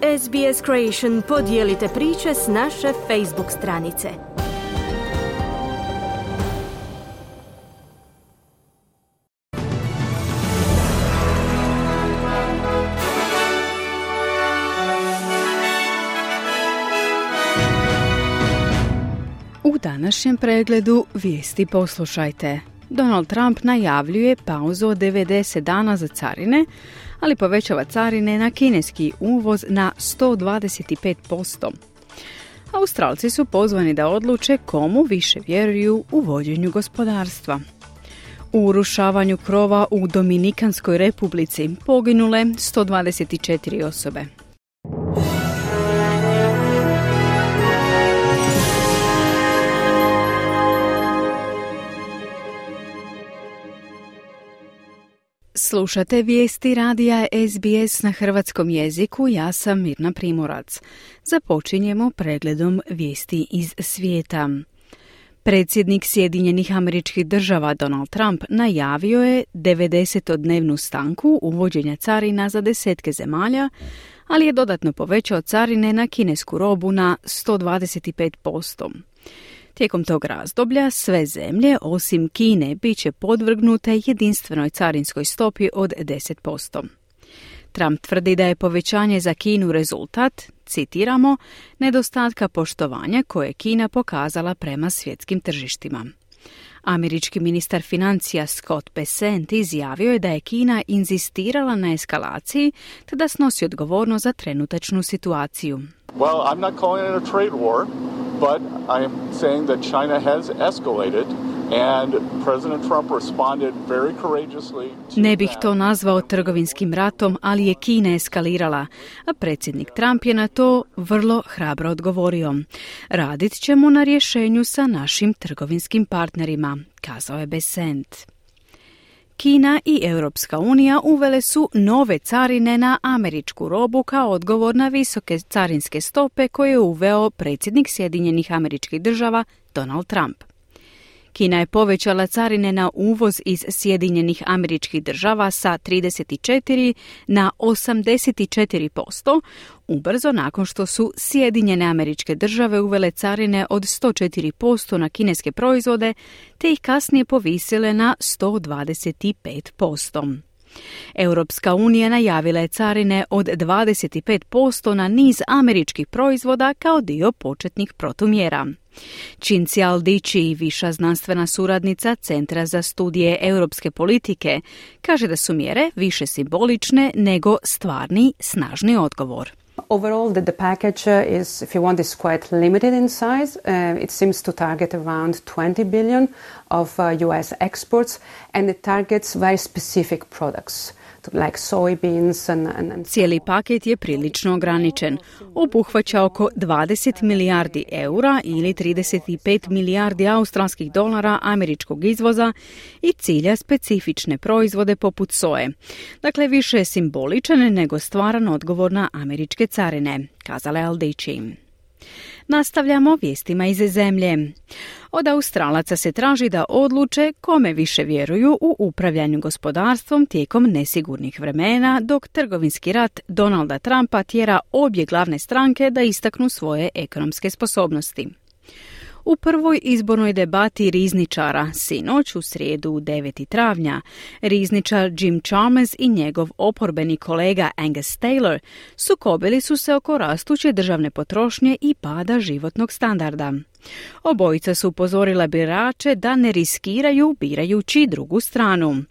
SBS Creation podijelite priče s naše Facebook stranice. U današnjem pregledu vijesti poslušajte. Donald Trump najavljuje pauzu od 90 dana za carine, ali povećava carine na kineski uvoz na 125%. Australci su pozvani da odluče komu više vjeruju u vođenju gospodarstva. U urušavanju krova u Dominikanskoj republici poginule 124 osobe. Slušate vijesti radija SBS na hrvatskom jeziku, ja sam Mirna Primorac. Započinjemo pregledom vijesti iz svijeta. Predsjednik Sjedinjenih Američkih Država Donald Trump najavio je 90-dnevnu stanku uvođenja carina za desetke zemalja, ali je dodatno povećao carine na kinesku robu na 125%. Tijekom tog razdoblja sve zemlje, osim Kine, bit će podvrgnute jedinstvenoj carinskoj stopi od 10%. Trump tvrdi da je povećanje za Kinu rezultat, citiramo, nedostatka poštovanja koje je Kina pokazala prema svjetskim tržištima. Američki ministar financija Scott Bessent izjavio je da je Kina inzistirala na eskalaciji te da snosi odgovornost za trenutačnu situaciju. Well, I'm not calling it a trade war, but I am saying that China has escalated and President Trump responded very courageously to that. Ne bih to nazvao trgovinskim ratom, ali je Kina eskalirala, a predsjednik Trump je na to vrlo hrabro odgovorio. Radit ćemo na rješenju sa našim trgovinskim partnerima, kazao je Bessent. Kina i Europska unija uvele su nove carine na američku robu kao odgovor na visoke carinske stope koje je uveo predsjednik Sjedinjenih Američkih Država Donald Trump. Kina je povećala carine na uvoz iz Sjedinjenih Američkih Država sa 34 na 84%, ubrzo nakon što su Sjedinjene Američke Države uvele carine od 104% na kineske proizvode, te ih kasnije povisile na 125%. Europska unija najavila je carine od 25% na niz američkih proizvoda kao dio početnih protumjera. Cinzia Aldici, viša znanstvena suradnica Centra za studije europske politike, kaže da su mjere više simbolične nego stvarni, snažni odgovor. Overall, the package is, if you want, is quite limited in size. It seems to target around 20 billion of US exports, and it targets very specific products, like soybeans and... Cijeli paket je prilično ograničen. Obuhvaća oko 20 milijardi eura ili 35 milijardi australskih dolara američkog izvoza i cilja specifične proizvode poput soje. Dakle, više je simboličan nego stvaran odgovor na američke carine, kazala je Aldici. Nastavljamo vijestima iz zemlje. Od Australaca se traži da odluče kome više vjeruju u upravljanju gospodarstvom tijekom nesigurnih vremena, dok trgovinski rat Donalda Trumpa tjera obje glavne stranke da istaknu svoje ekonomske sposobnosti. U prvoj izbornoj debati rizničara, sinoć u srijedu 9. travnja, rizničar Jim Chalmers i njegov oporbeni kolega Angus Taylor sukobili su se oko rastuće državne potrošnje i pada životnog standarda. Obojica su upozorila birače da ne riskiraju birajući drugu stranu.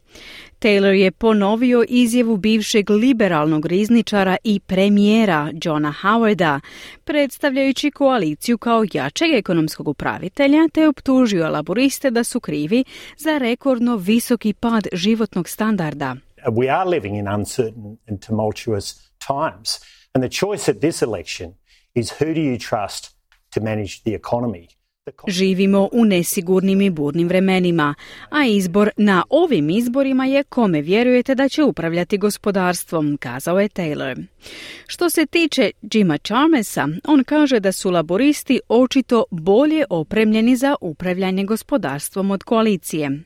Taylor je ponovio izjavu bivšeg liberalnog rizničara i premijera Johna Howarda, predstavljajući koaliciju kao jačeg ekonomskog upravitelja, te optužio laboriste da su krivi za rekordno visoki pad životnog standarda. We are living in uncertain and tumultuous times, and the choice at this election is who do you trust to manage the economy. Živimo u nesigurnim i burnim vremenima, a izbor na ovim izborima je kome vjerujete da će upravljati gospodarstvom, kazao je Taylor. Što se tiče Jima Chalmersa, on kaže da su laboristi očito bolje opremljeni za upravljanje gospodarstvom od koalicije.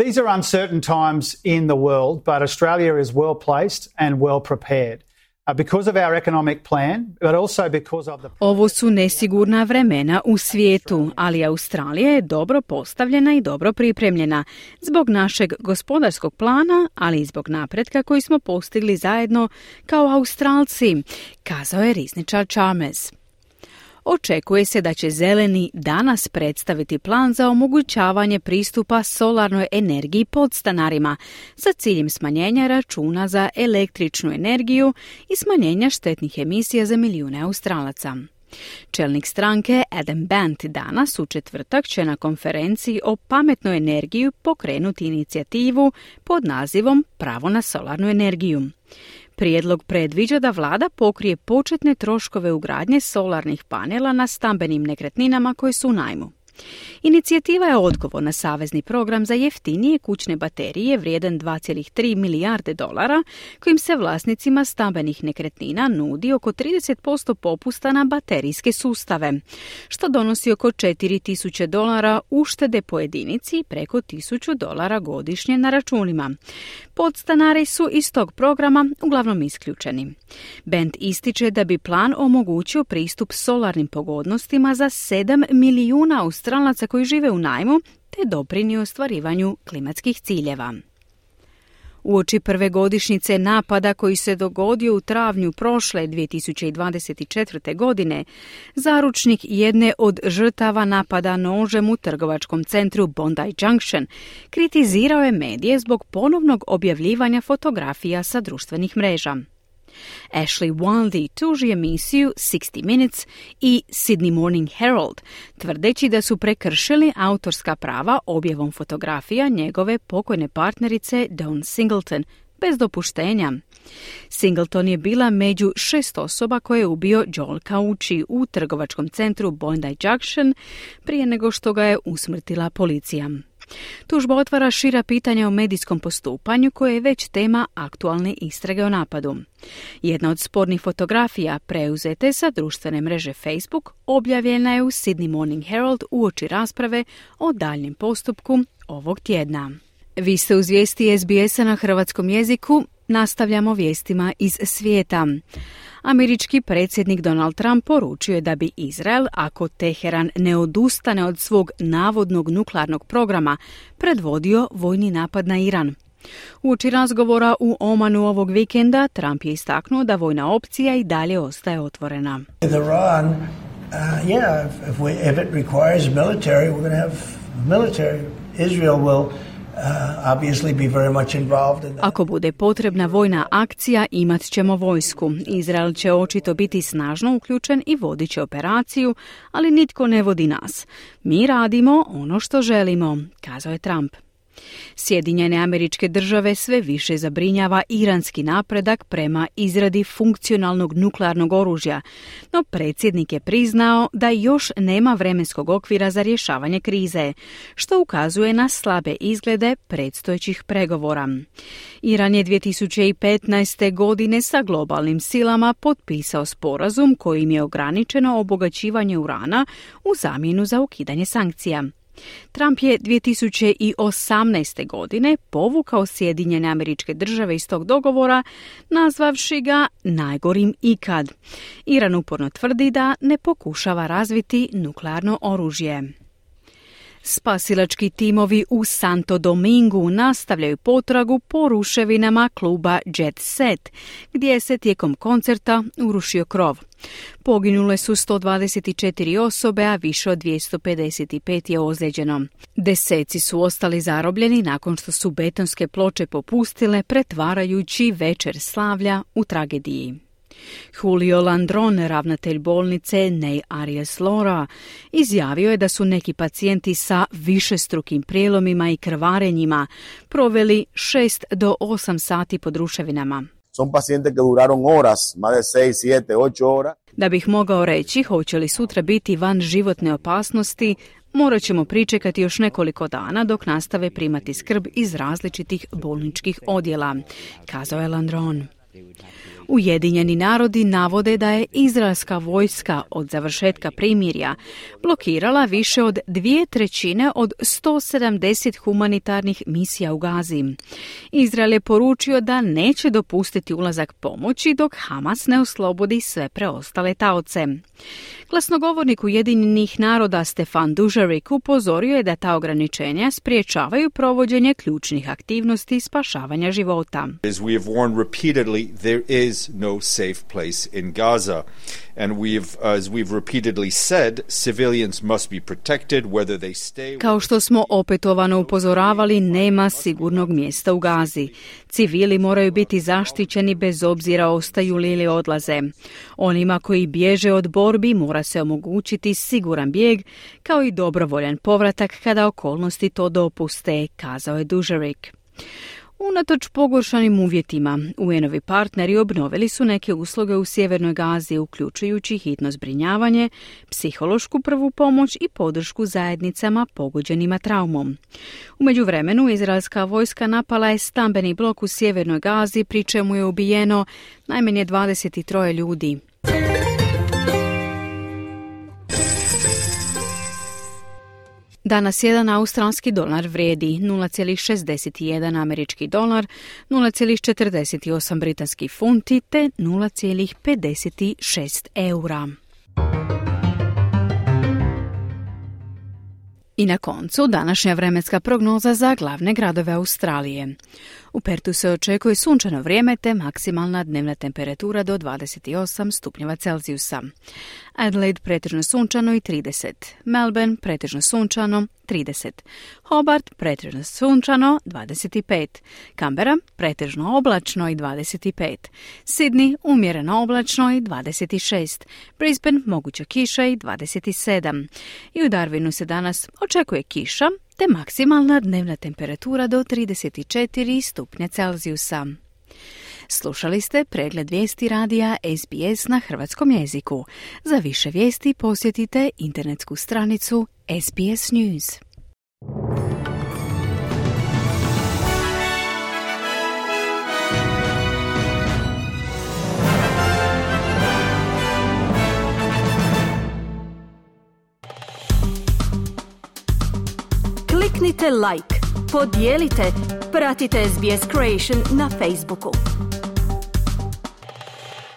These are uncertain times in the world, but Australia is well placed and well prepared. because of our economic plan, but also because of the... Ovo su nesigurna vremena u svijetu, ali Australija je dobro postavljena i dobro pripremljena zbog našeg gospodarskog plana, ali i zbog napretka koji smo postigli zajedno kao Australci, kazao je rizničar Chalmers. Očekuje se da će Zeleni danas predstaviti plan za omogućavanje pristupa solarnoj energiji podstanarima sa ciljem smanjenja računa za električnu energiju i smanjenja štetnih emisija za milijune Australaca. Čelnik stranke Adam Bandt danas u četvrtak će na konferenciji o pametnoj energiji pokrenuti inicijativu pod nazivom Pravo na solarnu energiju. Prijedlog predviđa da vlada pokrije početne troškove ugradnje solarnih panela na stambenim nekretninama koje su u najmu. Inicijativa je odgovor na savezni program za jeftinije kućne baterije vrijedan 2,3 milijarde dolara, kojim se vlasnicima stambenih nekretnina nudi oko 30% popusta na baterijske sustave, što donosi oko $4,000 uštede po jedinici i preko $1,000 godišnje na računima. Podstanari su iz tog programa uglavnom isključeni. Band ističe da bi plan omogućio pristup solarnim pogodnostima za 7 milijuna Australaca koji žive u najmu te doprinio ostvarivanju klimatskih ciljeva. Uoči prve godišnjice napada koji se dogodio u travnju prošle 2024. godine, zaručnik jedne od žrtava napada nožem u trgovačkom centru Bondi Junction kritizirao je medije zbog ponovnog objavljivanja fotografija sa društvenih mreža. Ashley Wildy tuži emisiju 60 Minutes i Sydney Morning Herald, tvrdeći da su prekršili autorska prava objavom fotografija njegove pokojne partnerice Dawn Singleton, bez dopuštenja. Singleton je bila među 6 osoba koje je ubio Joel Kauchi u trgovačkom centru Bondi Junction prije nego što ga je usmrtila policija. Tužba otvara šira pitanja o medijskom postupanju koje je već tema aktualne istrage o napadu. Jedna od spornih fotografija preuzete sa društvene mreže Facebook objavljena je u Sydney Morning Herald uoči rasprave o daljnjem postupku ovog tjedna. Vi ste uz vijesti SBS-a na hrvatskom jeziku. Nastavljamo vijestima iz svijeta. Američki predsjednik Donald Trump poručio je da bi Izrael, ako Teheran ne odustane od svog navodnog nuklearnog programa, predvodio vojni napad na Iran. Uoči razgovora u Omanu ovog vikenda, Trump je istaknuo da vojna opcija i dalje ostaje otvorena. Iran, if it requires military, we're going to have military. Israel will obviously be very much involved in that. Ako bude potrebna vojna akcija, imat ćemo vojsku. Izrael će očito biti snažno uključen i vodit će operaciju, ali nitko ne vodi nas. Mi radimo ono što želimo, kazao je Trump. Sjedinjene Američke Države sve više zabrinjava iranski napredak prema izradi funkcionalnog nuklearnog oružja, no predsjednik je priznao da još nema vremenskog okvira za rješavanje krize, što ukazuje na slabe izglede predstojećih pregovora. Iran je 2015. godine sa globalnim silama potpisao sporazum kojim je ograničeno obogaćivanje urana u zamjenu za ukidanje sankcija. Trump je 2018. godine povukao Sjedinjene Američke Države iz tog dogovora, nazvavši ga najgorim ikad. Iran uporno tvrdi da ne pokušava razviti nuklearno oružje. Spasilački timovi u Santo Domingu nastavljaju potragu po ruševinama kluba Jet Set, gdje se tijekom koncerta urušio krov. Poginule su 124 osobe, a više od 255 je ozlijeđeno. Deseci su ostali zarobljeni nakon što su betonske ploče popustile, pretvarajući večer slavlja u tragediji. Julio Landron, ravnatelj bolnice Nei Arias Lora, izjavio je da su neki pacijenti sa višestrukim prijelomima i krvarenjima proveli 6 do 8 sati pod ruševinama. Son pacientes que duraron horas, más de 6, 7, 8 horas. Da bih mogao reći hoće li sutra biti van životne opasnosti, morat ćemo pričekati još nekoliko dana dok nastave primati skrb iz različitih bolničkih odjela, kazao je Landron. Ujedinjeni narodi navode da je izraelska vojska od završetka primirja blokirala više od 2/3 od 170 humanitarnih misija u Gazi. Izrael je poručio da neće dopustiti ulazak pomoći dok Hamas ne oslobodi sve preostale taoce. Glasnogovornik Ujedinjenih naroda Stefan Dujarric upozorio je da ta ograničenja spriječavaju provođenje ključnih aktivnosti spašavanja života. As we have warned repeatedly, there is no safe place in Gaza. And as we've repeatedly said, civilians must be protected whether they stay. Kao što smo opetovano upozoravali, nema sigurnog mjesta u Gazi. Civili moraju biti zaštićeni bez obzira ostaju li ili odlaze. Onima koji bježe od borbi mora se omogućiti siguran bijeg, kao i dobrovoljan povratak kada okolnosti to dopuste, kazao je Dujarric. Unatoč pogoršanim uvjetima, UN-ovi partneri obnovili su neke usluge u sjevernoj Gazi, uključujući hitno zbrinjavanje, psihološku prvu pomoć i podršku zajednicama pogođenima traumom. U međuvremenu, izraelska vojska napala je stambeni blok u sjevernoj Gazi, pri čemu je ubijeno najmanje 23 ljudi. Danas jedan australski dolar vrijedi 0,61 američki dolar, 0,48 britanski funti te 0,56 eura. I na koncu današnja vremenska prognoza za glavne gradove Australije. U Pertu se očekuje sunčano vrijeme te maksimalna dnevna temperatura do 28 stupnjeva Celzijusa. Adelaide pretežno sunčano i 30. Melbourne pretežno sunčano 30. Hobart pretežno sunčano 25. Canberra pretežno oblačno i 25. Sydney umjereno oblačno i 26. Brisbane moguća kiša i 27. I u Darwinu se danas očekuje kiša te maksimalna dnevna temperatura do 34 stupnja Celzijusa. Slušali ste pregled vijesti radija SBS na hrvatskom jeziku. Za više vijesti posjetite internetsku stranicu SBS News. Kliknite like, podijelite, pratite SBS Creation na Facebooku.